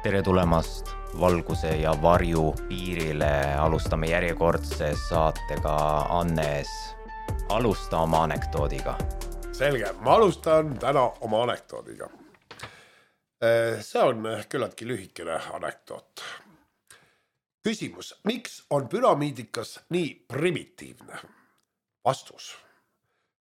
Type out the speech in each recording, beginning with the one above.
Tere tulemast valguse ja varju piirile. Alustame järjekordse saatega. Annes, alusta oma anekdoodiga. Selge, ma alustan täna oma anekdoodiga. See on küllaltki lühikene anekdoot. Küsimus, miks on püramiidikas nii primitiivne? Vastus.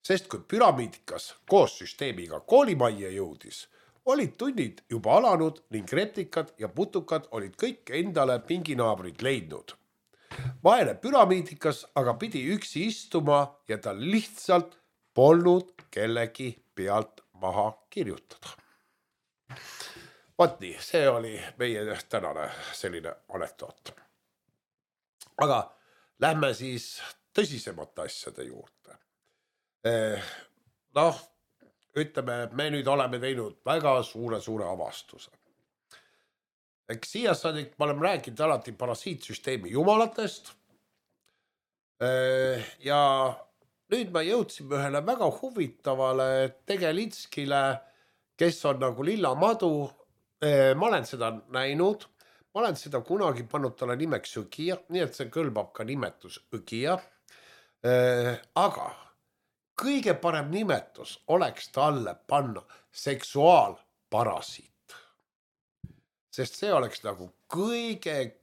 Sest kui püramiidikas koos süsteemiga koolimajja jõudis, olid tunnid juba alanud ning replikad ja putukad olid kõik endale pinginaabrid leidnud. Vaene püramiidikas aga pidi üksi istuma ja ta lihtsalt polnud kellegi pealt maha kirjutada. Vaat nii, see oli meie tänane selline anekdoot. Aga lähme siis tõsisemate asjade juurde. Ütleme, et me nüüd oleme teinud väga suure avastuse. Eks siia saadik ma olen rääkinud alati parasiitsüsteemi jumalatest. Ja nüüd me jõudsime ühele väga huvitavale tegelitskile, kes on nagu lilla madu. Ma olen seda näinud. Ma olen seda kunagi pannud talle nimeks Õgija, nii et see kõlbab ka nimetus Õgija. Aga kõige parem nimetus oleks talle panna seksuaalparasiit. Sest see oleks nagu kõige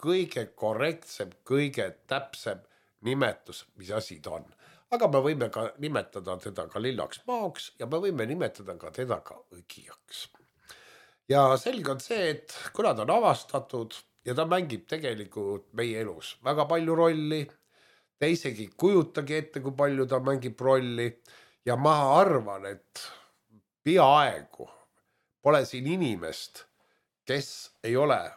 korrektsem, kõige täpsem nimetus, mis asi ta on. Aga me võime ka nimetada teda ka lillaks maoks ja me võime nimetada ka teda ka Õgijaks. Ja selge on see, et kuna ta on avastatud ja ta mängib tegelikult meie elus väga palju rolli, ta isegi kujutagi ette, kui palju ta mängib rolli ja ma arvan, et peaaegu pole siin inimest, kes ei ole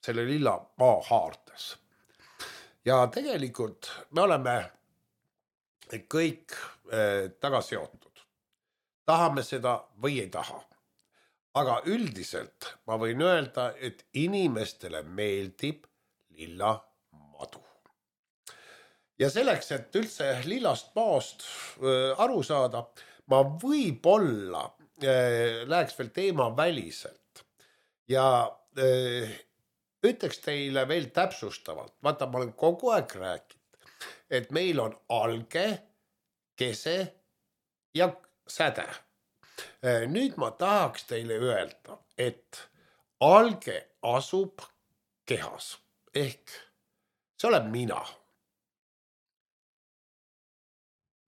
selle lilla maa haartes. Ja tegelikult me oleme kõik taga seotud. Tahame seda või ei taha. Aga üldiselt ma võin öelda, et inimestele meeldib lilla madu. Ja selleks, et üldse lillast maast aru saada, ma võib-olla läheks veel teema väliselt. Ja ütleks teile veel täpsustavalt, vaata, ma olen kogu aeg rääkinud, et meil on alge, kese ja säde. Nüüd ma tahaks teile öelda, et alge asub kehas, ehk see olen mina.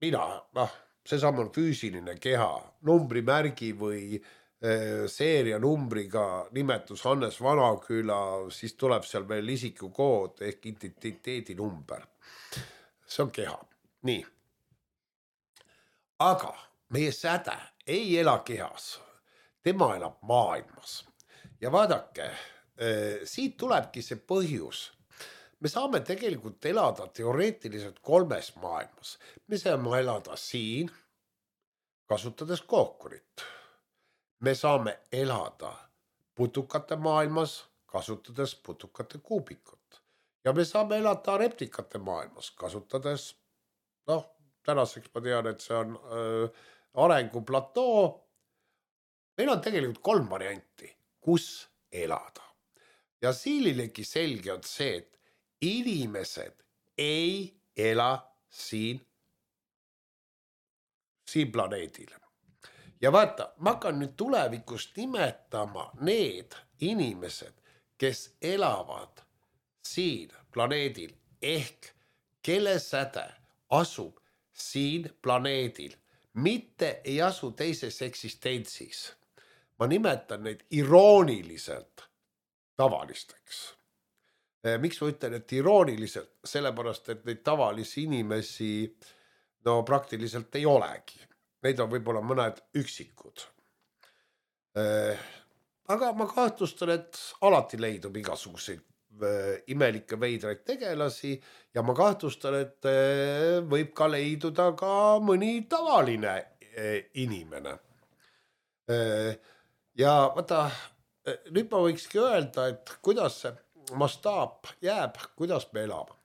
See samm on füüsiline keha, numbrimärgi või seeria numbriga nimetus Hannes Vanaküla, siis tuleb seal veel isikukood ehk identiteedi number. See on keha. Nii. Aga meie säde ei ela kehas, tema elab maailmas. Ja vaadake, siit tulebki see põhjus. Me saame tegelikult elada teoreetiliselt 3 maailmas. Me saame elada siin, kasutades kookurit. Me saame elada putukate maailmas, kasutades putukate kuubikut. Ja me saame elada replikate maailmas, kasutades, tänaseks ma tean, et see on arenguplatoo. Meil on tegelikult 3 varianti, kus elada. Ja siililegi selge on see, et inimesed ei ela siin planeedil. Ja vaata, ma hakkan nüüd tulevikust nimetama need inimesed, kes elavad siin planeedil ehk kelle säde asub siin planeedil, mitte ei asu teises eksistentsis. Ma nimetan neid irooniliselt tavalisteks. Miks ma ütlen, et irooniliselt? Sellepärast, et neid tavalisi inimesi praktiliselt ei olegi. Neid on võib-olla mõned üksikud. Aga ma kahtlustan, et alati leidub igasuguseid imelikke veidraid tegelasi ja ma kahtlustan, et võib ka leiduda ka mõni tavaline inimene. Ja vaata, nüüd ma võikski öelda, et kuidas see mastaap jääb, kuidas me elame.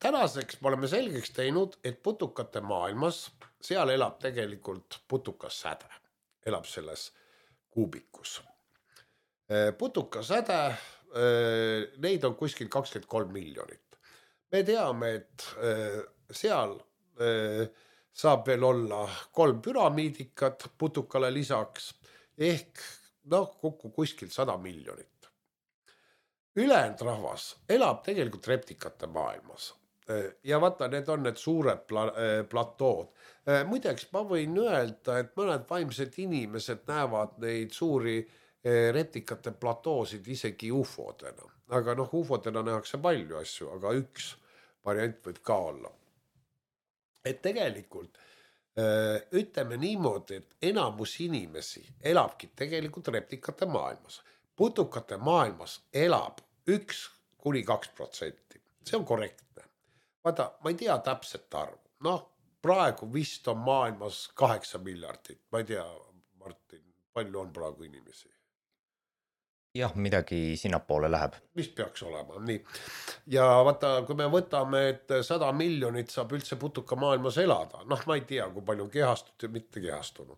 Tänaseks me oleme selgeks teinud, et putukate maailmas, seal elab tegelikult putukas säde, elab selles kuubikus. Putukasäde, neid on kuskil 23 miljonit. Me teame, et seal saab veel olla 3 püramiidikat putukale lisaks ehk kokku kuskil 100 miljonit. Ülejäänud rahvas elab tegelikult reptikate maailmas. Ja vaata, need on need suured platood. Muideks ma võin öelda, et mõned vaimsed inimesed näevad neid suuri reptikate platoosid isegi ufodena. Aga ufodena nähakse palju asju, aga üks variant võib ka olla. Et tegelikult ütleme niimoodi, et enamus inimesi elabki tegelikult reptikate maailmas. Putukate maailmas elab 1–2%. See on korrektne. Vaata, ma ei tea täpset arvu. Praegu vist on maailmas 8 miljardit. Ma ei tea, Martin, palju on praegu inimesi? Jah, midagi sinnapoole läheb. Mis peaks olema, nii. Ja vaata, kui me võtame, et 100 miljonit saab üldse putuka maailmas elada, ma ei tea, kui palju on kehastunud ja mitte kehastunud.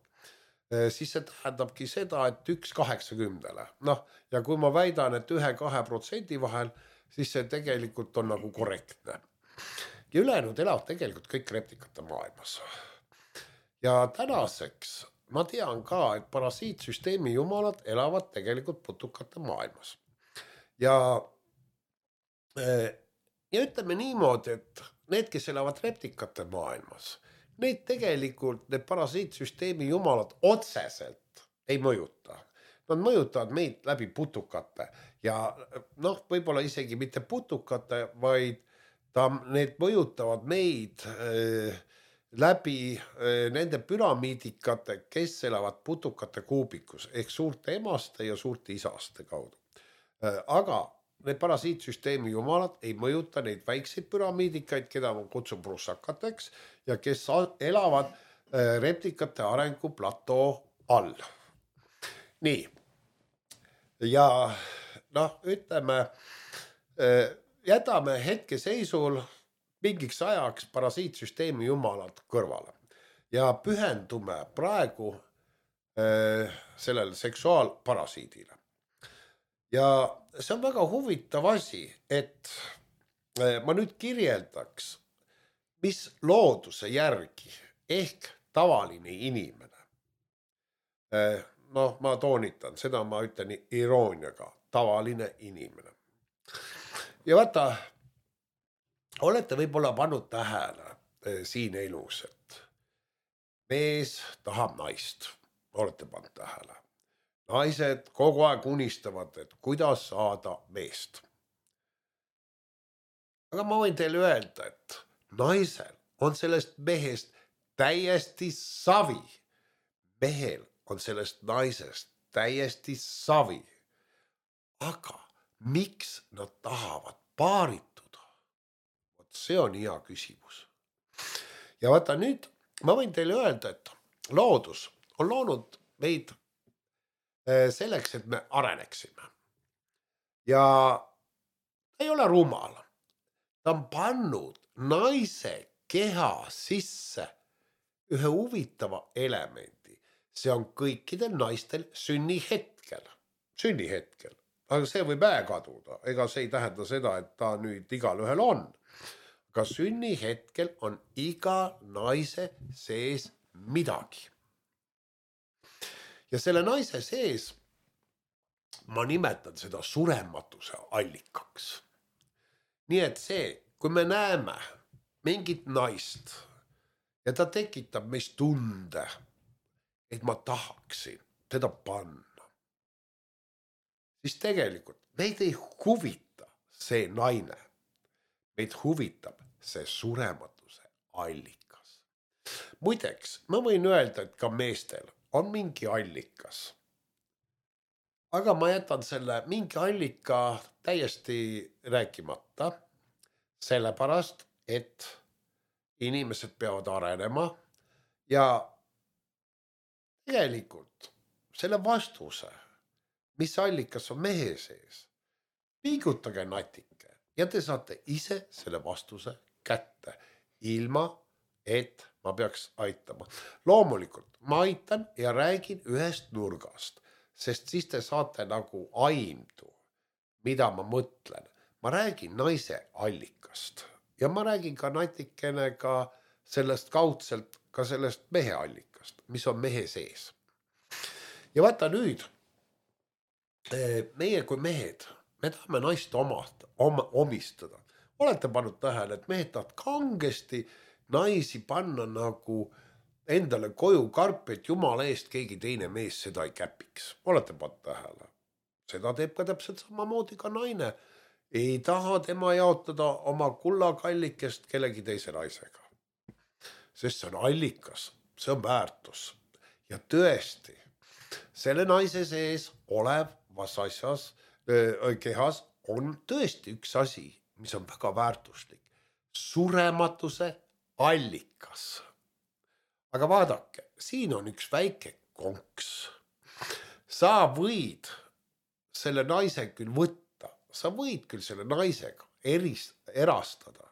Siis see tähendabki seda, et 1/80. Ja kui ma väidan, et 1–2% vahel, siis see tegelikult on nagu korrektne. Ja ülejäänud elavad tegelikult kõik reptikate maailmas. Ja tänaseks ma tean ka, et parasiitsüsteemi jumalad elavad tegelikult putukate maailmas. Ja ütleme niimoodi, et need, kes elavad reptikate maailmas, need tegelikult, need parasiitsüsteemi jumalad otseselt ei mõjuta. Nad mõjutavad meid läbi putukate ja võib-olla isegi mitte putukate, vaid need mõjutavad meid läbi nende püramiidikate, kes elavad putukate kuubikus ehk suurte emaste ja suurte isaste kaudu. Aga need parasiitsüsteemi jumalad ei mõjuta neid väikseid püramiidikaid, keda ma kutsun prussakateks ja kes elavad reptikate arengu platoo all. Nii. Ja ütleme, jätame hetkeseisul mingiks ajaks parasiitsüsteemi jumalad kõrvale ja pühendume praegu sellele seksuaalparasiidile. Ja see on väga huvitav asi, et ma nüüd kirjeldaks, mis looduse järgi ehk tavaline inimene. Ma toonitan, seda ma ütlen irooniaga, tavaline inimene. Ja vaata, olete võib-olla pannud tähele siin elus, et mees tahab naist, olete pannud tähele. Naised kogu aeg unistavad, et kuidas saada meest. Aga ma võin teile öelda, et naisel on sellest mehest täiesti savi. Mehel on sellest naisest täiesti savi. Aga miks nad tahavad paarituda? See on hea küsimus. Ja vaata nüüd, ma võin teile öelda, et loodus on loonud meid selleks, et me areneksime. Ja ei ole rumal. Ta on pannud naise keha sisse ühe huvitava elemendi. See on kõikidel naistel sünnihetkel. Sünnihetkel. Aga see võib kaduda. Ega see ei tähenda seda, et ta nüüd igal ühel on. Aga sünnihetkel on iga naise sees midagi. Ja selle naise sees ma nimetan seda surematuse allikaks. Nii et see, kui me näeme mingit naist ja ta tekitab meist tunde, et ma tahaksin teda panna, siis tegelikult meid ei huvita see naine. Meid huvitab see surematuse allikas. Muideks, ma võin öelda, et ka meestel on mingi allikas. Aga ma jätan selle mingi allika täiesti rääkimata, sellepärast, et inimesed peavad arenema ja tegelikult selle vastuse, mis allikas on mehe sees, pingutage natuke ja te saate ise selle vastuse kätte, ilma et ma peaks aitama. Loomulikult ma aitan ja räägin ühest nurgast, sest siis te saate nagu aimdu, mida ma mõtlen. Ma räägin naise allikast ja ma räägin ka natikene ka sellest kaudselt ka sellest mehe allikast, mis on mehe sees. Ja vaata nüüd, meie kui mehed, me tahame naist omistada. Olete pannud tähele, et mehed tahavad kangesti naisi panna nagu endale koju karpi, et jumala eest keegi teine mees seda ei käpiks. Olete pannud tähele. Seda teeb ka täpselt samamoodi ka naine. Ei taha tema jaotada oma kullakallikest kellegi teise naisega. Sest see on allikas, see on väärtus. Ja tõesti, selle naise sees olevas asjas, kehas on tõesti üks asi, mis on väga väärtuslik. Surematuse allikas. Aga vaadake, siin on üks väike konks. Sa võid selle naise küll võtta, sa võid küll selle naisega erastada.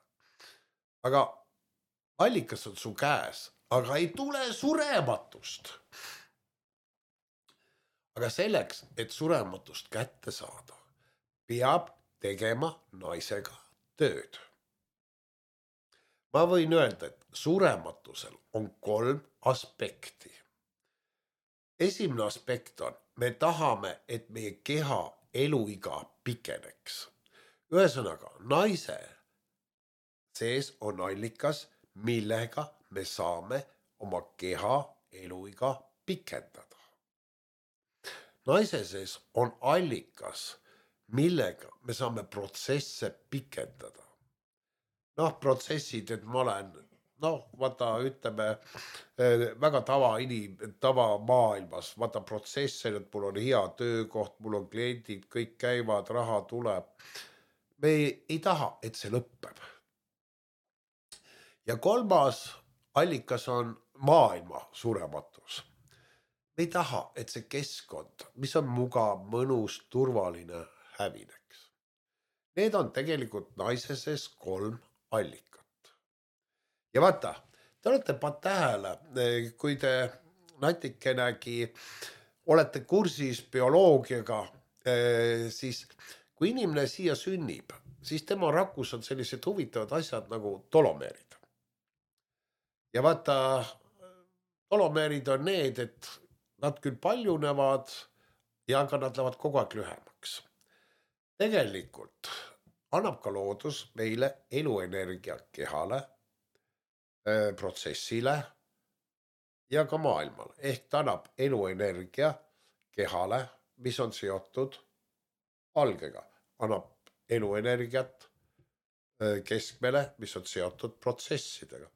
Aga allikas on su käes, aga ei tule surematust. Aga selleks, et surematust kätte saada, peab tegema naisega tööd. Ma võin öelda, et surematusel on 3 aspekti. Esimene aspekt on, me tahame, et meie keha eluiga pikeneks. Ühesõnaga, naise sees on allikas, millega me saame oma keha eluiga pikendada. Naise sees on allikas, millega me saame protsesse pikendada. Protsessid, et ma olen, vaata, ütleme, väga tava maailmas, vaata protsesse, et mul on hea töökoht, mul on kliendid, kõik käivad, raha tuleb. Me ei taha, et see lõppeb. Ja 3. allikas on maailma surematus. Me ei taha, et see keskkond, mis on mugav, mõnus, turvaline, hävineks. Need on tegelikult naise sees 3 allikat. Ja vaata, te olete pannud tähele, kui te natikenegi olete kursis bioloogiaga, siis kui inimene siia sünnib, siis tema rakus on sellised huvitavad asjad nagu tolomeerid. Ja vaata, tolomeerid on need, et nad küll paljunevad ja ka nad lähevad kogu aeg lühemaks. Tegelikult annab ka loodus meile eluenergia kehale, protsessile ja ka maailmale. Ehk ta annab eluenergia kehale, mis on seotud algega. Annab eluenergiat keskmele, mis on seotud protsessidega.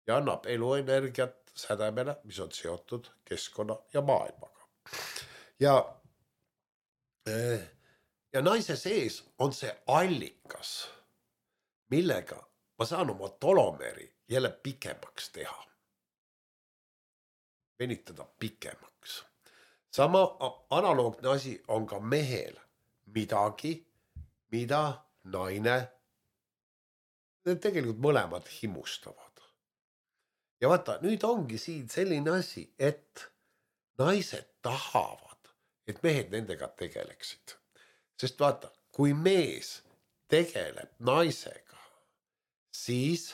Ja annab eluenergiat sädemele, mis on seotud keskkonna ja maailmaga. Ja naise sees on see allikas, millega ma saan oma tolomeeri jälle pikemaks teha. Venitada pikemaks. Sama analoogne asi on ka mehel midagi, mida naine tegelikult mõlemad himustavad. Ja vaata, nüüd ongi siin selline asi, et naised tahavad, et mehed nendega tegeleksid. Sest vaata, kui mees tegeleb naisega, siis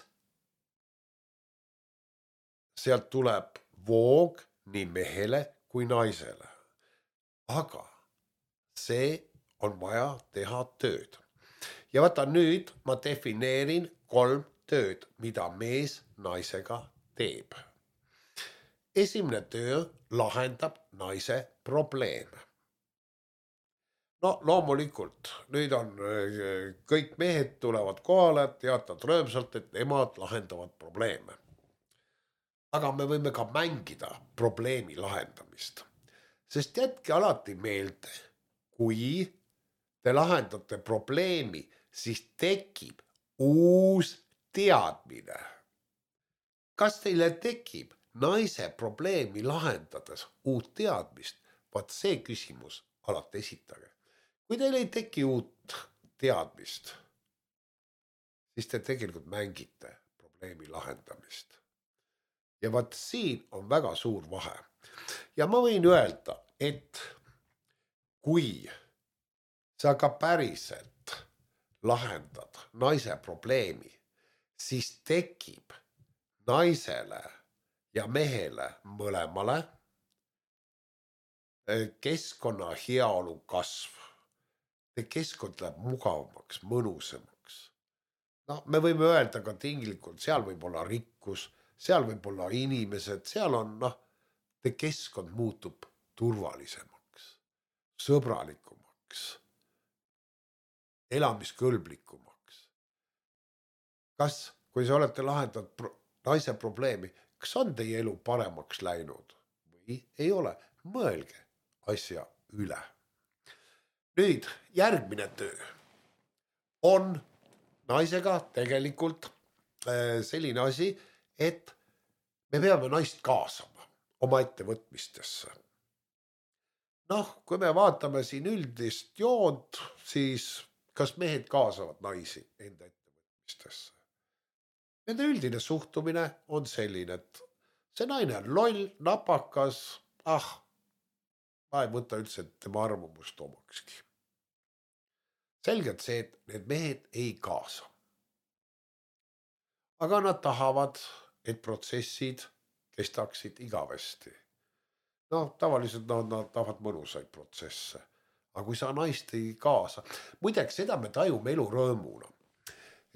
sealt tuleb voog nii mehele kui naisele. Aga see on vaja teha tööd. Ja vaata, nüüd ma defineerin 3 tööd, mida mees naisega teeb. Esimene töö lahendab naise probleeme. Loomulikult, nüüd on kõik mehed tulevad kohale, teatavad rõõmsalt, et nemad lahendavad probleeme. Aga me võime ka mängida probleemi lahendamist. Sest jätke alati meelde, kui te lahendate probleemi, siis tekib uus teadmine. Kas teile tekib naise probleemi lahendades uut teadmist? Vaat see küsimus alati esitage. Kui teil ei teki uut teadmist, siis te tegelikult mängite probleemi lahendamist. Ja vaat siin on väga suur vahe. Ja ma võin öelda, et kui sa ka päriselt lahendad naise probleemi, siis tekib naisele ja mehele mõlemale keskkonna heaolu kasv. Keskkond läheb mugavamaks, mõnusamaks. No, me võime öelda ka tinglikult, seal võib olla rikkus, seal võib olla inimesed, seal on, keskkond muutub turvalisemaks, sõbralikumaks, elamiskõlblikumaks. Kas, kui sa olete lahendanud naise probleemi, kas on teie elu paremaks läinud või ei ole? Mõelge asja üle. Nüüd järgmine töö on naisega tegelikult selline asi, et me peame naist kaasama oma ettevõtmistesse. Kui me vaatame siin üldist joont, siis kas mehed kaasavad naisi enda ettevõtmistesse? Nende üldine suhtumine on selline, et see naine on loll, napakas, ma ei võta üldse tema arvamust omakski. Selgelt see, et need mehed ei kaasa. Aga nad tahavad, et protsessid kestaksid igavesti. Tavaliselt nad tahavad mõnusaid protsesse. Aga kui sa naist ei kaasa, muideks seda me tajume elurõõmuna.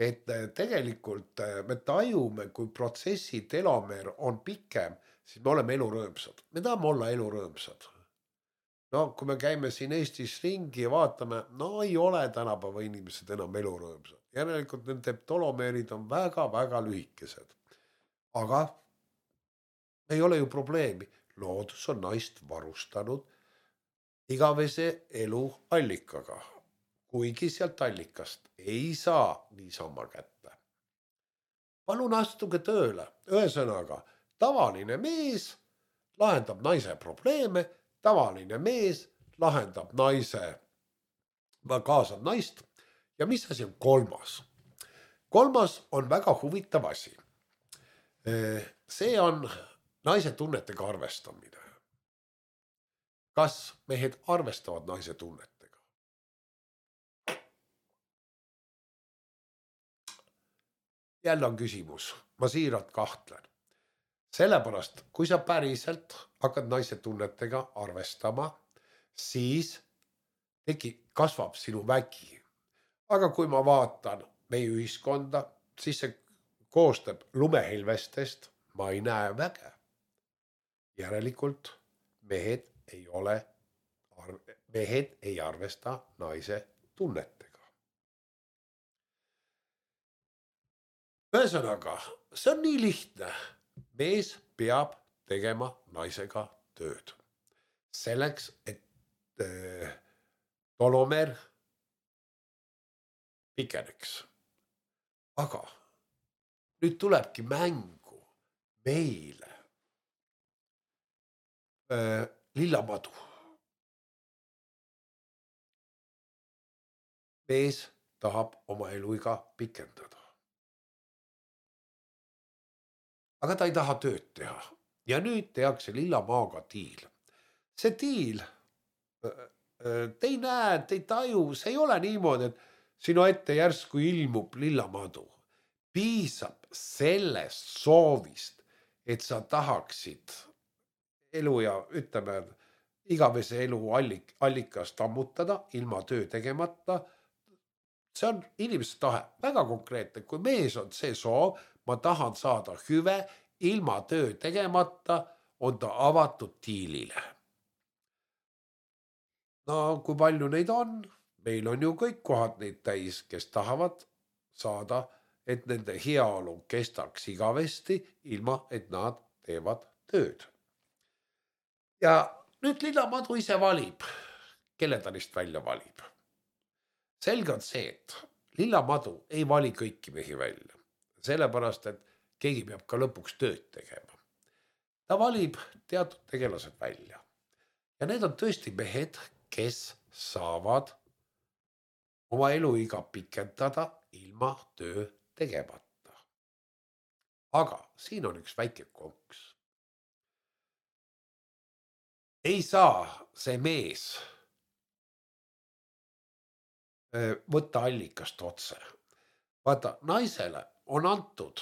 Et tegelikult me tajume, kui protsessi telomeer on pikem, siis me oleme elurõõmsad. Me tahame olla elurõõmsad. Kui me käime siin Eestis ringi ja vaatame, ei ole tänapäeva inimesed enam elurõõmsad. Järelikult nende telomeerid on väga-väga lühikesed. Aga ei ole ju probleemi. Loodus on naist varustanud igavese elu allikaga. Kuigi sealt allikast ei saa niisama kätte. Palun astuge tööle. Ühesõnaga, tavaline mees lahendab naise probleeme, tavaline mees lahendab kaasab naist. Ja mis asi on kolmas? Kolmas on väga huvitav asi. See on naise tunnetega arvestamine. Kas mehed arvestavad naise tunnetega? Jälle on küsimus. Ma siiralt kahtlen. Sellepärast, kui sa päriselt hakkad naise tunnetega arvestama, siis kasvab sinu vägi. Aga kui ma vaatan meie ühiskonda, siis see koostab lumehilvestest, ma ei näe väge. Järelikult mehed ei arvesta naise tunnetega. Ühesõnaga, see on nii lihtne. Mees peab tegema naisega tööd. Selleks, et telomeer pikeneks. Aga nüüd tulebki mängu meile lillamadu. Mees tahab oma eluiga pikendada. Aga ta ei taha tööd teha. Ja nüüd tehakse lillamaaga diil. See diil, te ei näe, te ei taju, see ei ole niimoodi, et sinu ette järsku ilmub lillamadu. Piisab sellest soovist, et sa tahaksid elu ja igavese elu allikast ammutada ilma töö tegemata. See on inimese tahe, väga konkreetne. Kui mees on see soov, ma tahan saada hüve ilma töö tegemata, on ta avatud diilile. Kui palju neid on? Meil on ju kõik kohad neid täis, kes tahavad saada, et nende heaolu kestaks igavesti, ilma et nad teevad tööd. Ja nüüd lillamadu ise valib, kelle ta neist välja valib. Selge on see, et lillamadu ei vali kõiki mehi välja. Sellepärast, et keegi peab ka lõpuks tööd tegema. Ta valib teatud tegelased välja. Ja need on tõesti mehed, kes saavad oma eluiga pikendada ilma töö tegemata. Aga siin on üks väike konks. Ei saa see mees võtta allikast otse. Vaata, naisele on antud,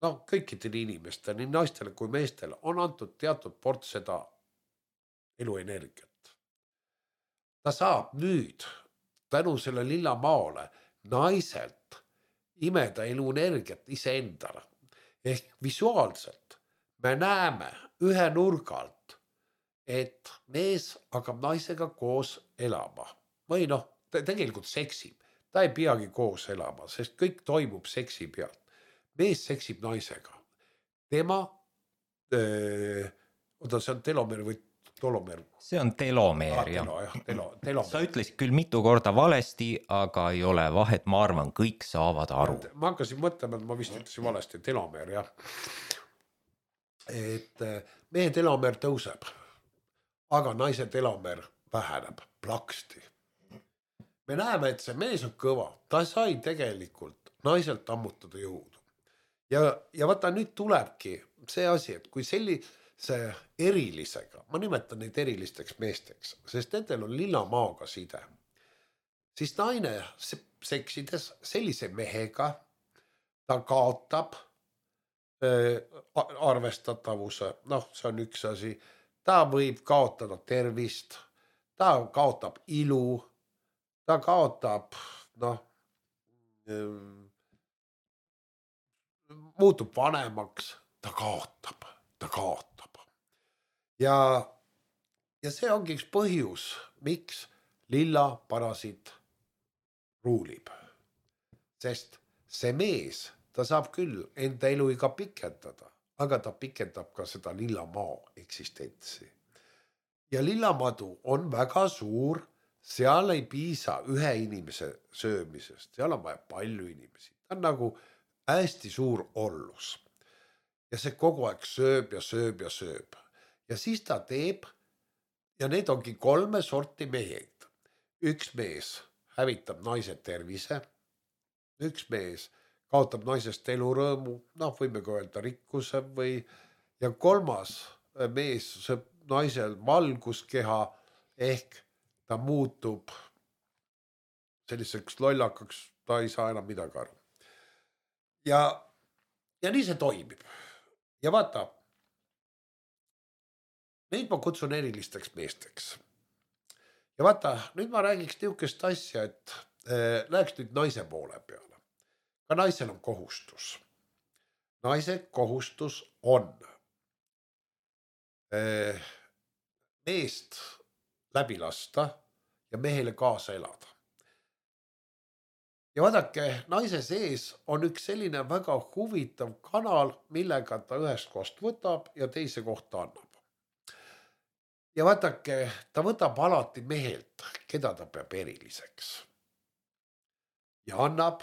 kõikidele inimestele, nii naistele kui meestele on antud teatud ports seda eluenergiat. Ta saab nüüd tänu selle lilla maole naiselt imeda eluenergiat iseendale. Ehk visuaalselt me näeme ühe nurga alt, et mees hakkab naisega koos elama. Või ta tegelikult seksib. Ta ei peagi koos elama, sest kõik toimub seksi pealt. Mees seksib naisega. Tema, see on telomeer või tolomeer. See on telomeer, telomeer. Sa ütlesid küll mitu korda valesti, aga ei ole vahet, ma arvan, kõik saavad aru. Ma hakkasin mõtlema, et ma vist ütlesin valesti, telomeer, jah. Et mehe telomeer tõuseb, aga naise telomeer väheneb plaksti. Me näeme, et see mees on kõva, ta sai tegelikult naiselt ammutada jõudu. Ja vaata, nüüd tulebki see asi, et kui sellise erilisega, ma nimetan neid erilisteks meesteks, sest nendel on lilla maaga side, siis naine seksides sellise mehega, ta kaotab arvestatavuse, see on üks asi, ta võib kaotada tervist, ta kaotab ilu, ta kaotab, muutub vanemaks, ta kaotab. Ja see ongi üks põhjus, miks lilla parasiit ruulib. Sest see mees, ta saab küll enda eluiga pikendada, aga ta pikendab ka seda lilla maa eksistentsi. Ja lillamadu on väga suur, seal ei piisa ühe inimese söömisest, seal on vaja palju inimesi. Ta on nagu hästi suur ollus. Ja see kogu aeg sööb ja sööb ja sööb. Ja siis ta teeb, ja need ongi 3 sorti mehed. Üks mees hävitab naise tervise, üks mees kaotab naisest elurõõmu, võime ka öelda rikkuse ja 3. mees sööb naisel valguskeha ehk ta muutub selliseks lollakaks, ta ei saa enam midagi aru. Ja nii see toimib. Ja vaata, neid ma kutsun erilisteks meesteks. Ja vaata, nüüd ma räägiks niisugust asja, et läheks nüüd naise poole peale. Ka naisel on kohustus. Naise kohustus on meest läbi lasta ja mehele kaasa elada. Ja vaadake, naise sees on üks selline väga huvitav kanal, millega ta ühest kohast võtab ja teise kohta annab. Ja vaadake, ta võtab alati mehelt, keda ta peab eriliseks. Ja annab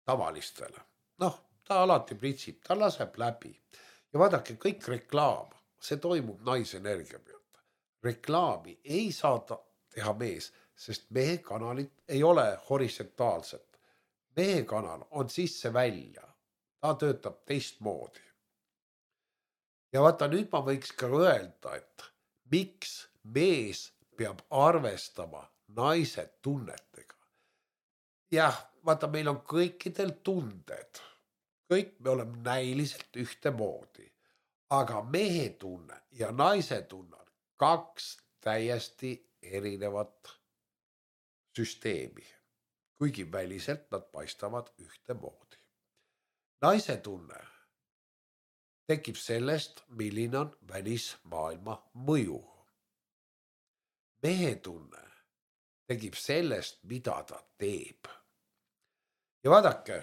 tavalistele. Ta alati pritsib, ta laseb läbi. Ja vaadake, kõik reklaam, see toimub naisenergia pealt. Reklaami ei saa teha mees, sest mehe kanalid ei ole horisontaalsed. Mehe kanal on sisse välja. Ta töötab teistmoodi. Ja vaata, nüüd ma võiks ka öelda, et miks mees peab arvestama naise tunnetega. Jah, vaata, meil on kõikidel tunded. Kõik me oleme näiliselt ühtemoodi. Aga mehe tunne ja naise tunne on 2 täiesti erinevat süsteemi, kuigi väliselt nad paistavad ühtemoodi. Naise tunne tekib sellest, milline on välismaailma mõju. Mehe tunne tekib sellest, mida ta teeb. Ja vaadake,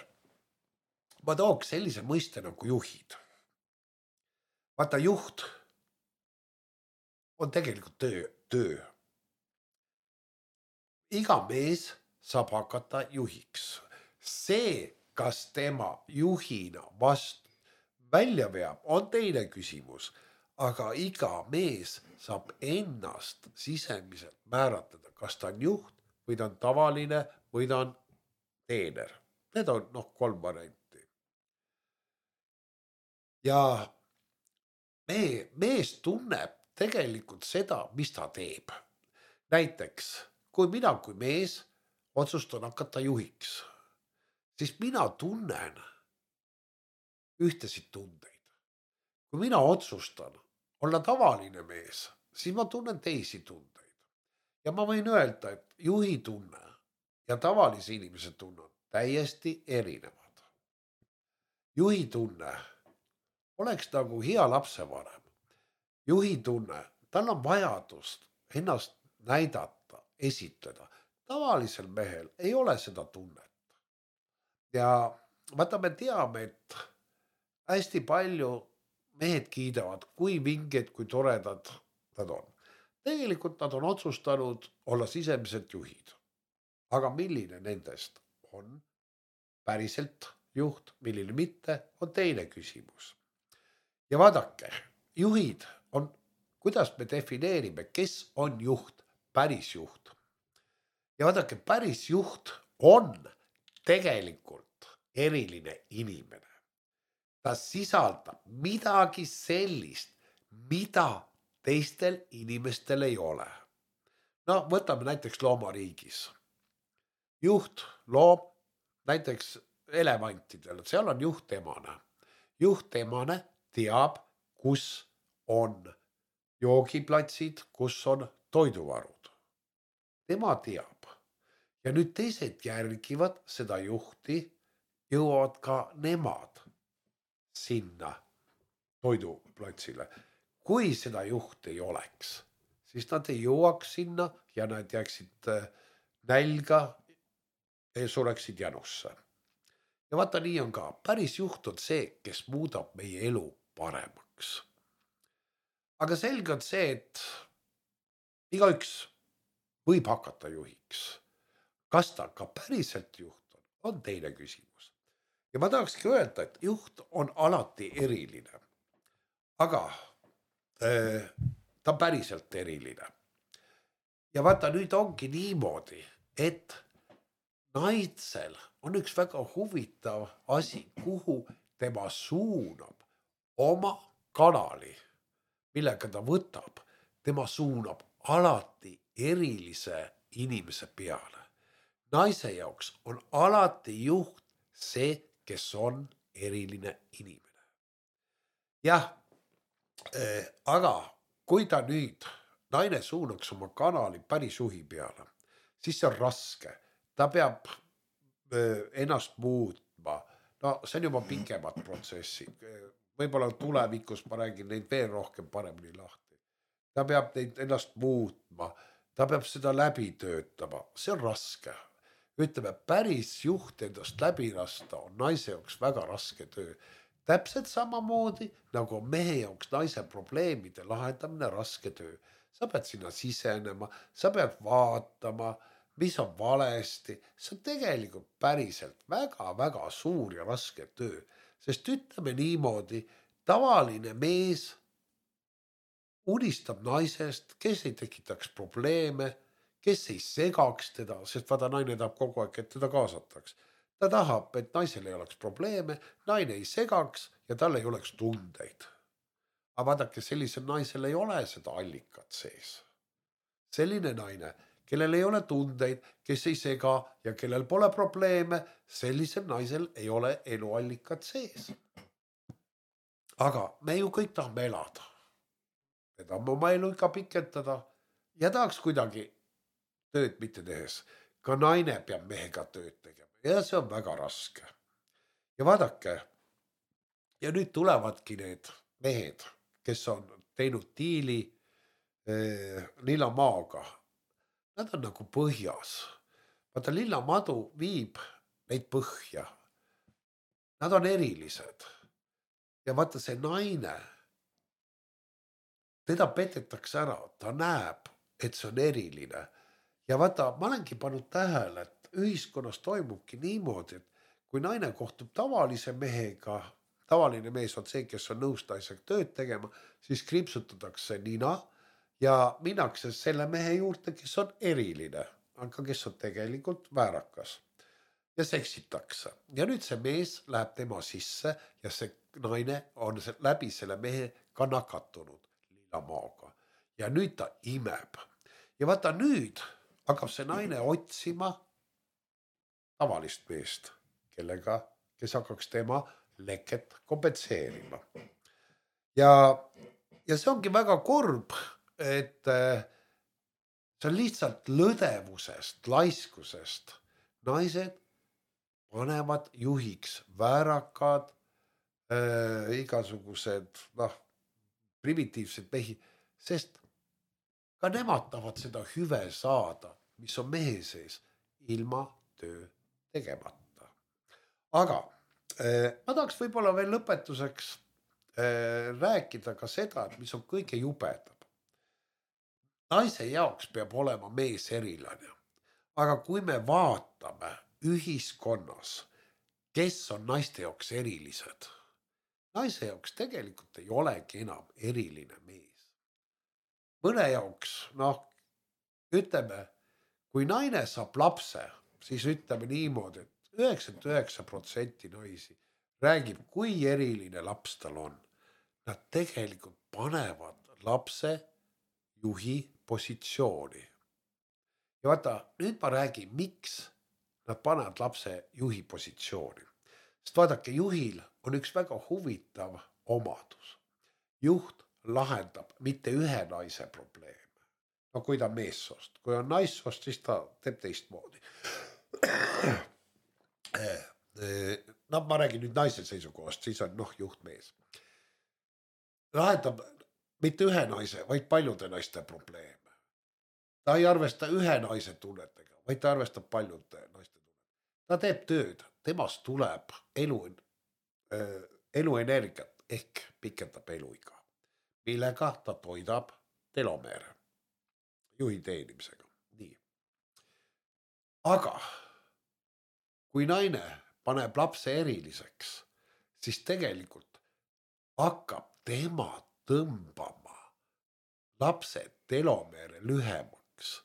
ma tooks sellise mõiste nagu juhid. Vaata, juht on tegelikult töö. Iga mees saab hakata juhiks. See, kas tema juhina vastu välja veab, on teine küsimus. Aga iga mees saab ennast sisemiselt määratleda, kas ta on juht või ta on tavaline või ta on teener. Need on 3 varianti. Ja mees tunneb tegelikult seda, mis ta teeb. Näiteks, kui mina kui mees otsustan hakata juhiks, siis mina tunnen ühtesid tundeid. Kui mina otsustan olla tavaline mees, siis ma tunnen teisi tundeid. Ja ma võin öelda, et juhi tunne ja tavalise inimese tunne on täiesti erinevad. Juhi tunne oleks nagu hea lapsevanem. Juhi tunne, tal on vajadust ennast näidata, esitleda. Tavalisel mehel ei ole seda tunnet. Ja vaata, me teame, et hästi palju mehed kiidavad, kui vinged, kui toredad nad on. Tegelikult nad on otsustanud olla sisemiselt juhid. Aga milline nendest on päriselt juht, milline mitte, on teine küsimus. Ja vaadake, juhid on, kuidas me defineerime, kes on juht, päris juht. Ja vaadake, päris juht on tegelikult eriline inimene. Ta sisaldab midagi sellist, mida teistel inimestel ei ole. No võtame näiteks loomariigis. Juht loom näiteks elevantidel, seal on juhtemane. Juhtemane teab, kus on joogiplatsid, kus on toiduvarud. Tema teab. Ja nüüd teised järgivad seda juhti, jõuavad ka nemad sinna toiduplatsile. Kui seda juhti ei oleks, siis nad ei jõuaks sinna ja nad jääksid nälga ja sureksid janusse. Ja vaata, nii on ka. Päris juht on see, kes muudab meie elu paremaks. Aga selge on see, et igaüks võib hakata juhiks. Kas ta ka päriselt juht on teine küsimus. Ja ma tahakski öelda, et juht on alati eriline. Aga ta on päriselt eriline. Ja vaata, nüüd ongi niimoodi, et naisel on üks väga huvitav asi, kuhu tema suunab oma kanali, millega ta võtab, tema suunab alati erilise inimese peale. Naise jaoks on alati juht see, kes on eriline inimene. Jah, aga kui ta nüüd, naine suunaks oma kanali päris juhi peale, siis see on raske. Ta peab ennast muutma. No see on juba pikemad protsessid. Võib-olla tulevikus ma räägin neid veel rohkem paremini lahti. Ta peab neid ennast muutma. Ta peab seda läbi töötama. See on raske. Ütleme, päris juht endast läbi lasta on naise jaoks väga raske töö. Täpselt samamoodi, nagu mehe jaoks naise probleemide lahendamine raske töö. Sa pead sinna sisenema, sa pead vaatama, mis on valesti. See on tegelikult päriselt väga-väga suur ja raske töö. Sest ütleme niimoodi, tavaline mees unistab naisest, kes ei tekitaks probleeme, kes ei segaks teda, sest vaata, naine tahab kogu aeg, et teda kaasataks. Ta tahab, et naisel ei oleks probleeme, naine ei segaks ja tal ei oleks tundeid. Aga vaadake, sellisel naisel ei ole seda allikat sees. Selline naine, kellel ei ole tundeid, kes ei sega ja kellel pole probleeme, sellisel naisel ei ole eluallikat sees. Aga me ju kõik tahame elada. Me tahame oma elu ikka pikendada ja tahaks kuidagi tööd mitte tehes. Ka naine peab mehega tööd tegema ja see on väga raske. Ja vaadake, ja nüüd tulevadki need mehed, kes on teinud diili lillamaaga. Nad on nagu põhjas. Vaata, lillamadu viib neid põhja. Nad on erilised. Ja vaata, see naine, teda petetakse ära, ta näeb, et see on eriline. Ja vaata, ma olengi pannud tähele, et ühiskonnas toimubki niimoodi, et kui naine kohtub tavalise mehega, tavaline mees on see, kes on nõus naisega tööd tegema, siis kriipsutatakse nina ja minnakse selle mehe juurde, kes on eriline, aga kes on tegelikult väärakas. Ja seksitakse. Ja nüüd see mees läheb tema sisse ja see naine on läbi selle mehe ka nakatunud lillamaaga. Ja nüüd ta imeb. Ja vaata, nüüd hakkab see naine otsima tavalist meest, kes hakkaks tema leket kompenseerima. Ja see ongi väga kurb, et see on lihtsalt lõdevusest, laiskusest. Naised panevad juhiks väärakad, igasugused primitiivsed mehi, sest ka nemad tahavad seda hüve saada, mis on mehe sees, ilma töö tegemata. Aga ma tahaks võib-olla veel lõpetuseks rääkida ka seda, et mis on kõige jubedam. Naise jaoks peab olema mees erilane. Aga kui me vaatame ühiskonnas, kes on naiste jaoks erilised, naise jaoks tegelikult ei olegi enam eriline mees. Mõne jaoks, ütleme, kui naine saab lapse, siis ütleme niimoodi, et 99% naisi räägib, kui eriline laps tal on. Nad tegelikult panevad lapse juhi positsiooni. Ja vaata, nüüd ma räägin, miks nad panevad lapse juhi positsiooni. Sest vaadake, juhil on üks väga huvitav omadus. Juht lahendab mitte ühe naise probleeme. No kui ta on meessoost, kui on naissoost, siis ta teeb teistmoodi. Ma räägin nüüd naise seisukohast, siis on juht mees. Lahendab mitte ühe naise, vaid paljude naiste probleeme. Ta ei arvesta ühe naise tunnetega, vaid ta arvestab paljude naiste tunnetega. Ta teeb tööd, temast tuleb eluenergiat ehk pikendab eluiga, millega ta toidab telomeere juhi teenimisega. Nii. Aga kui naine paneb lapse eriliseks, siis tegelikult hakkab tema tõmbama lapse telomeere lühemaks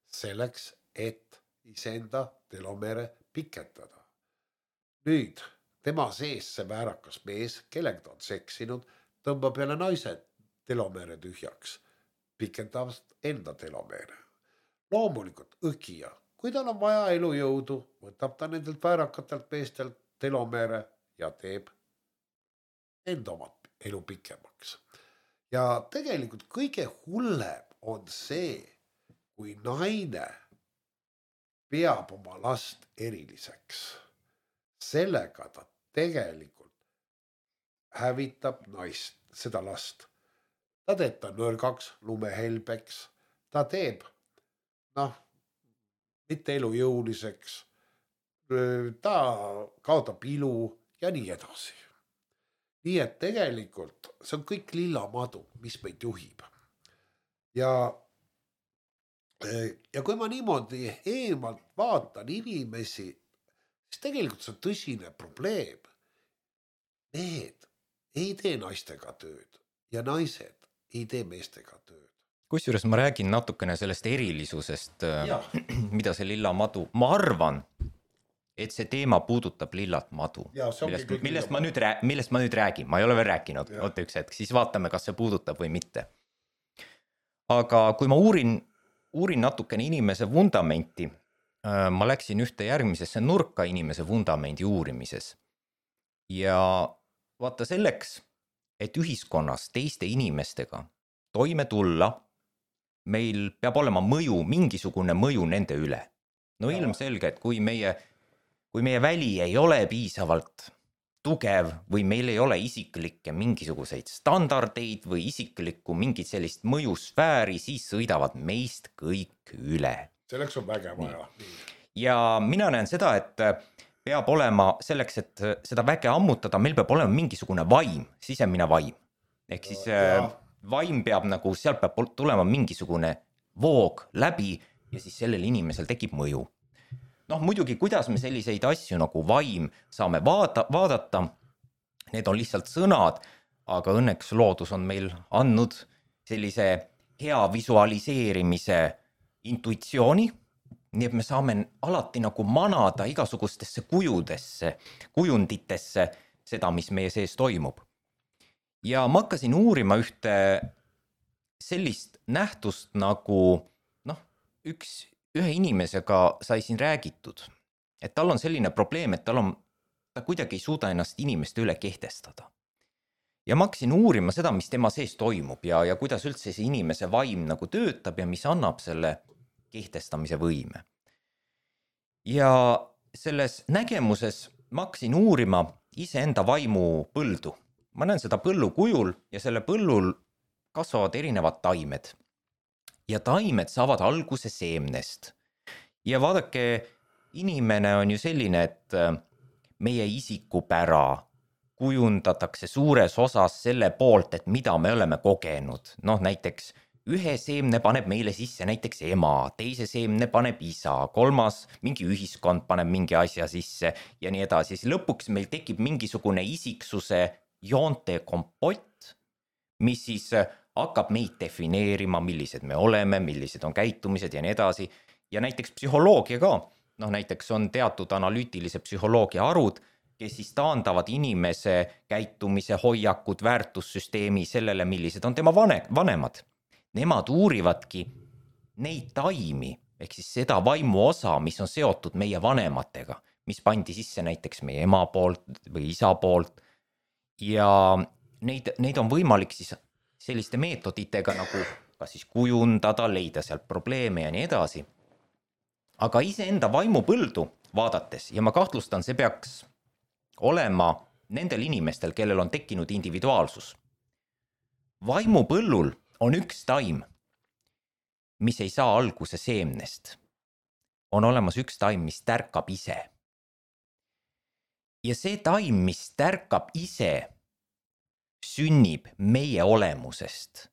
selleks, et iseenda telomeere pikendada. Nüüd tema sees see väärakas mees, kellega ta on seksinud, tõmbab jälle naise telomeere tühjaks, pikendavast enda telomeere. Loomulikult õgija, kui tal on vaja elujõudu, võtab ta nendelt väärakatelt meestelt telomeere ja teeb enda omad elu pikemaks. Ja tegelikult kõige hullem on see, kui naine peab oma last eriliseks. Sellega ta tegelikult hävitab naist, seda last. Ta teeb ta nõrgaks, lumehelbeks, ta teeb, mitte elujõuliseks, ta kaotab ilu ja nii edasi. Nii et tegelikult see on kõik lillamadu, mis meid juhib. Ja kui ma niimoodi eemalt vaatan inimesi, siis tegelikult see on tõsine probleem. Mehed ei tee naistega tööd ja naised ei tee meestega tööd. Kusjuures ma räägin natukene sellest erilisusest, mida see lillamadu, ma arvan, et see teema puudutab lillat madu, millest ma nüüd räägin, ma ei ole veel rääkinud, oota üks hetk, siis vaatame, kas see puudutab või mitte. Aga kui ma uurin natukene inimese vundamenti, ma läksin ühte järgmisesse nurka inimese vundamendi uurimises. Ja vaata selleks, et ühiskonnas teiste inimestega toime tulla, meil peab olema mingisugune mõju nende üle. No ilmselge, et kui meie väli ei ole piisavalt tugev või meil ei ole isiklikke mingisuguseid standardeid või isiklikku mingit sellist mõjusfääri, siis sõidavad meist kõik üle. Selleks on väge vaja. Ja mina näen seda, et peab olema selleks, et seda väge ammutada, meil peab olema mingisugune vaim, sisemine vaim. Ehk siis vaim peab sealt peab tulema mingisugune voog läbi ja siis sellel inimesel tekib mõju. Muidugi, kuidas me selliseid asju nagu vaim saame vaadata, need on lihtsalt sõnad, aga õnneks loodus on meil andnud sellise hea visualiseerimise intuitsiooni, nii et me saame alati nagu manada igasugustesse kujunditesse seda, mis meie sees toimub. Ja ma hakkasin uurima ühte sellist nähtust nagu üks ühe inimesega sai siin räägitud, et tal on selline probleem, et ta kuidagi ei suuda ennast inimeste üle kehtestada. Ja ma hakkasin uurima seda, mis tema sees toimub ja kuidas üldse see inimese vaim nagu töötab ja mis annab selle kehtestamise võime. Ja selles nägemuses ma hakkasin uurima iseenda vaimu põldu. Ma näen seda põllu kujul ja selle põllul kasvavad erinevad taimed. Ja taimed saavad alguse seemnest. Ja vaadake, inimene on ju selline, et meie isikupära kujundatakse suures osas selle poolt, et mida me oleme kogenud. Näiteks ühe seemne paneb meile sisse näiteks ema, teise seemne paneb isa, kolmas mingi ühiskond paneb mingi asja sisse ja nii edasi. Siis lõpuks meil tekib mingisugune isiksuse joonte kompott, mis siis hakkab meid defineerima, millised me oleme, millised on käitumised ja nii edasi. Ja näiteks psühholoogia ka. Näiteks on teatud analüütilise psühholoogia arud, kes siis taandavad inimese käitumise, hoiakud, väärtussüsteemi sellele, millised on tema vanemad. Nemad uurivadki neid taimi, ehk siis seda vaimu osa, mis on seotud meie vanematega, mis pandi sisse näiteks meie ema poolt või isa poolt. Ja neid on võimalik siis selliste meetoditega nagu kas siis kujundada, leida sealt probleeme ja nii edasi. Aga iseenda vaimupõldu vaadates, ja ma kahtlustan, see peaks olema nendel inimestel, kellel on tekkinud individuaalsus. Vaimupõllul on üks taim, mis ei saa alguse seemnest. On olemas üks taim, mis tärkab ise. Ja see taim, mis tärkab ise, sünnib meie olemusest.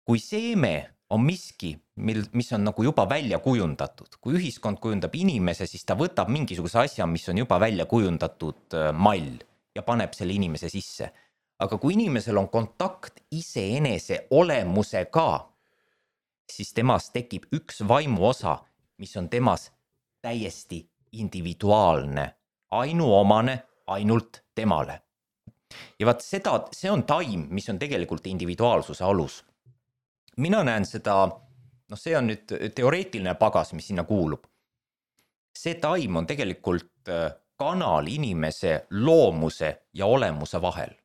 Kui seeme on miski, mis on nagu juba välja kujundatud, kui ühiskond kujundab inimese, siis ta võtab mingisuguse asja, mis on juba välja kujundatud mall ja paneb selle inimese sisse. Aga kui inimesel on kontakt iseenese olemusega, siis temas tekib üks vaimu osa, mis on temas täiesti individuaalne, ainuomane ainult temale. Ja vaat see on taim, mis on tegelikult individuaalsuse alus. Mina näen seda, see on nüüd teoreetiline pagas, mis sinna kuulub. See taim on tegelikult kanal inimese loomuse ja olemuse vahel.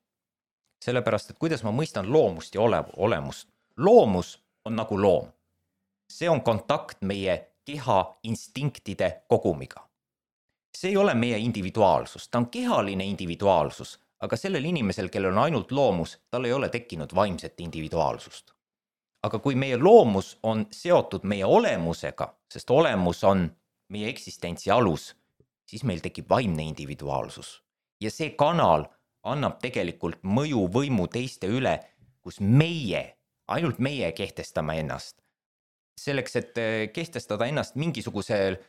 Sellepärast, et kuidas ma mõistan loomust ja olemust. Loomus on nagu loom. See on kontakt meie keha instinktide kogumiga. See ei ole meie individuaalsus, ta on kehaline individuaalsus, aga sellel inimesel, kellel on ainult loomus, tal ei ole tekkinud vaimset individuaalsust. Aga kui meie loomus on seotud meie olemusega, sest olemus on meie eksistentsi alus, siis meil tekib vaimne individuaalsus. Ja see kanal annab tegelikult mõju võimu teiste üle, kus ainult meie kehtestame ennast. Selleks, et kehtestada ennast mingisugusel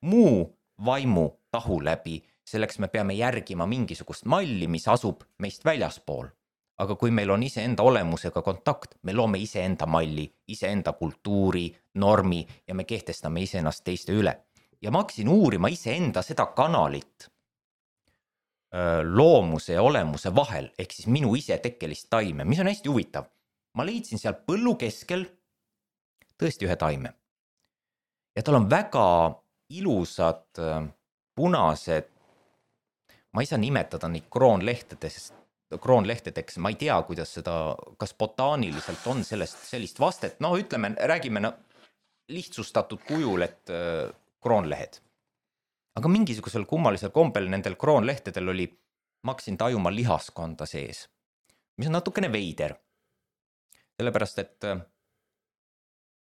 muu vaimu tahu läbi, selleks me peame järgima mingisugust malli, mis asub meist väljaspool. Aga kui meil on iseenda olemusega kontakt, me loome iseenda malli, iseenda kultuuri, normi ja me kehtestame iseennast teiste üle. Ja ma hakkasin uurima iseenda seda kanalit loomuse ja olemuse vahel, ehk siis minu isetekkelist taime, mis on hästi huvitav. Ma leidsin seal põllu keskel tõesti ühe taime. Ja tal on väga ilusad punased, ma ei saa nimetada neid kroonlehtedeks, ma ei tea, kuidas seda, kas botaaniliselt on sellist vastet, ütleme, räägime lihtsustatud kujul, et kroonlehed. Aga mingisugusel kummalisel kombel nendel kroonlehtedel oli, ma hakkasin tajuma lihaskonda sees, mis on natukene veider. Sellepärast, et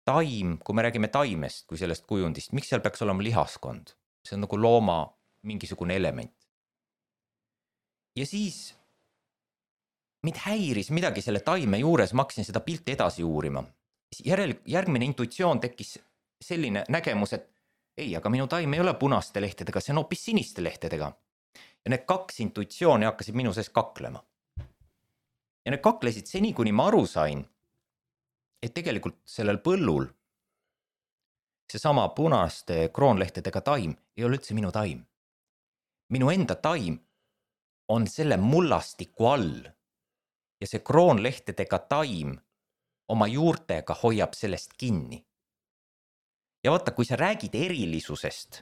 taim, kui me räägime taimest kui sellest kujundist, miks seal peaks olema lihaskond? See on nagu looma mingisugune element. Ja siis mind häiris midagi selle taime juures, ma hakkasin seda pilti edasi uurima. Järgmine intuitsioon tekkis selline nägemus, et ei, aga minu taim ei ole punaste lehtedega, see on hoopis siniste lehtedega. Ja need kaks intuitsiooni hakkasid minu sees kaklema. Ja need kaklesid seni, kuni ma aru sain, et tegelikult sellel põllul seesama punaste kroonlehtedega taim ei ole üldse minu taim. Minu enda taim on selle mullastiku all ja see kroonlehtedega taim oma juurtega hoiab sellest kinni. ja vaata, kui sa räägid erilisusest,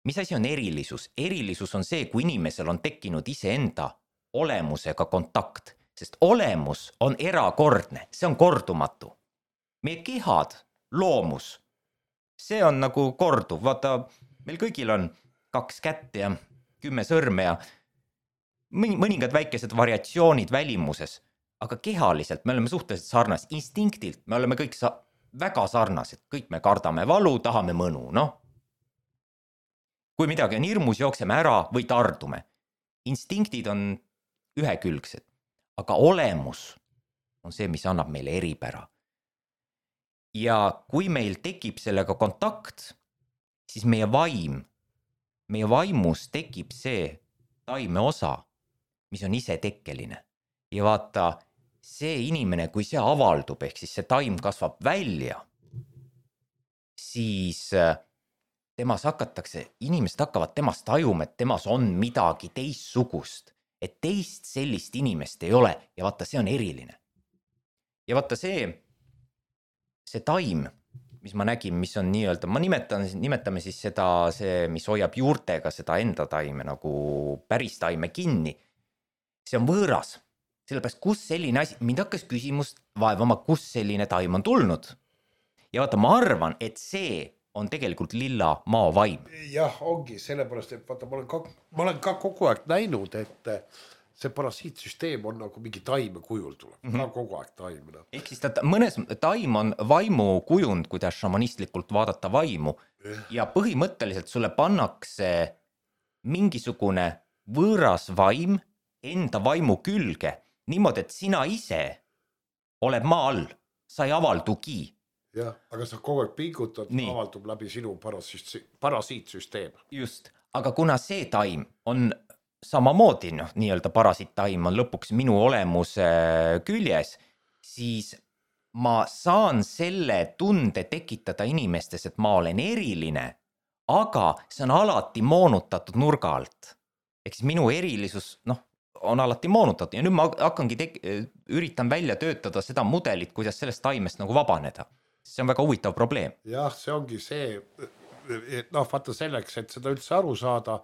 mis asi on erilisus? Erilisus on see, kui inimesel on tekkinud iseenda olemusega kontakt, sest olemus on erakordne, see on kordumatu. Meie kehad, loomus, see on nagu korduv, vaata, meil kõigil on 2 kätt ja 10 sõrme ja mõningad väikesed variatsioonid välimuses, aga kehaliselt me oleme suhteliselt sarnased, instinktilt me oleme kõik väga sarnased, kõik me kardame valu, tahame mõnu, noh. Kui midagi on hirmus, jookseme ära või tardume. Instinktid on ühekülgsed, aga olemus on see, mis annab meile eripära. Ja kui meil tekib sellega kontakt, siis meie vaimus tekib see taime osa, mis on isetekkeline. Ja vaata, see inimene, kui see avaldub, ehk siis see taim kasvab välja, siis temas inimesed hakkavad temast tajuma, et temas on midagi teistsugust, et teist sellist inimest ei ole ja vaata, see on eriline. Ja vaata see taim, mis ma nägin, mis on nii-öelda, nimetame siis seda, mis hoiab juurtega seda enda taime nagu päris taime kinni, see on võõras. Sellepärast, kus selline asi, mind hakkas küsimust vaevama, kus selline taim on tulnud. Ja vaata, ma arvan, et see on tegelikult lilla maa vaim. Jah, ongi sellepärast, et vaata, ma olen ka kogu aeg näinud, et see parasiitsüsteem on nagu mingi taime kujul tuleb, ka kogu aeg taimena. Ehk siis mõnes taim on vaimu kujund, kuidas šamanistlikult vaadata vaimu ja põhimõtteliselt sulle pannakse mingisugune võõras vaim enda vaimu külge, niimoodi, et sina ise oled maa all, sa ei avaldugi. Jah, aga sa kogu aeg pingutad, avaldub läbi sinu parasiitsüsteem. Just, aga kuna see taim on samamoodi, nii-öelda parasiittaim on lõpuks minu olemuse küljes, siis ma saan selle tunde tekitada inimestes, et ma olen eriline, aga see on alati moonutatud nurga alt. Ehk siis minu erilisus, on alati moonutatud ja nüüd ma hakkangi üritan välja töötada seda mudelit, kuidas sellest taimest nagu vabaneda. See on väga huvitav probleem. Jah, see ongi see, vaata selleks, et seda üldse aru saada,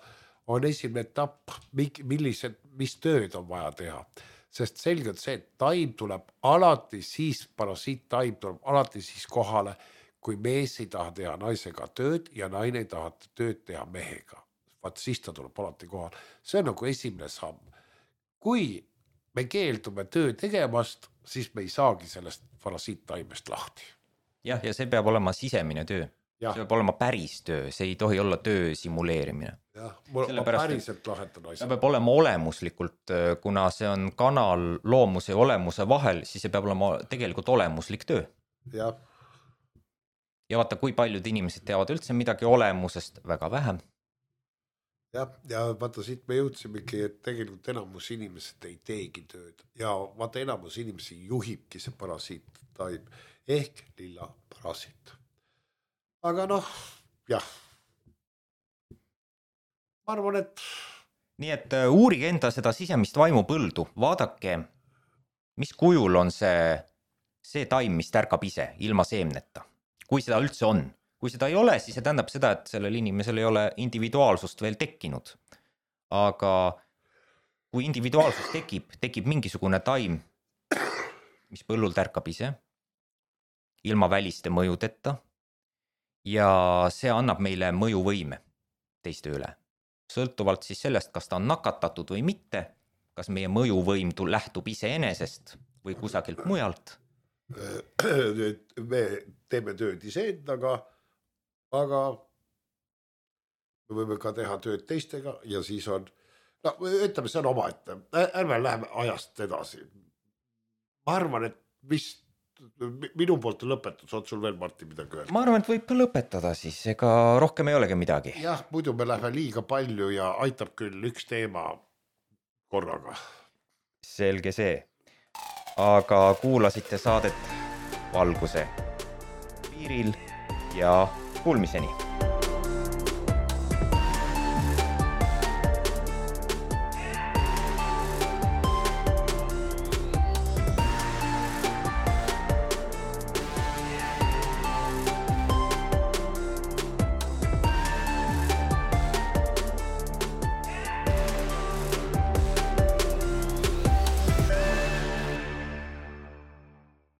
on esimene etapp, mis tööd on vaja teha. Sest selgelt see, et taim tuleb alati siis, parasiittaim tuleb alati siis kohale, kui mees ei taha teha naisega tööd ja naine ei taha tööd teha mehega. Vaat siis ta tuleb alati kohal. See on nagu esimene samm. Kui me keeldume töö tegemast, siis me ei saagi sellest parasiittaimest lahti. Jah, ja see peab olema sisemine töö. Ja. See peab olema päris töö, see ei tohi olla töö simuleerimine. Jah, ma päriselt lahetan asja. See peab olema olemuslikult, kuna see on kanal loomuse ja olemuse vahel, siis see peab olema tegelikult olemuslik töö. Jah. Ja vaata, kui paljud inimesed teavad üldse midagi olemusest, väga vähem. Ja vaata, siit me jõudsimegi, et tegelikult enamus inimesed ei teegi tööd. Ja vaata, enamus inimesi juhibki see parasiittaim ehk lilla parasiit. Aga jah. Ma arvan, et... Nii et uurige enda seda sisemist vaimupõldu. Vaadake, mis kujul on see taim, mis tärkab ise, ilma seemneta. Kui seda üldse on. Kui seda ei ole, siis see tähendab seda, et sellel inimesel ei ole individuaalsust veel tekkinud. Aga kui individuaalsus tekib mingisugune taim, mis põllul tärkab ise, ilma väliste mõjudeta, ja see annab meile mõjuvõime teiste üle. Sõltuvalt siis sellest, kas ta on nakatatud või mitte, kas meie mõjuvõim lähtub iseenesest või kusagilt mujalt. Me teeme tööd iseendaga, aga me võime ka teha tööd teistega ja siis on, ütleme, see on omaette. Ärme läheme ajast edasi. Ma arvan, et vist minu poolt lõpetus, on sul veel, Martin, midagi öelda? Ma arvan, et võib ka lõpetada siis, ega rohkem ei olegi midagi. Jah, muidu me läheme liiga palju ja aitab küll üks teema korraga. Selge see. Aga kuulasite saadet Valguse piiril ja kuulmiseni.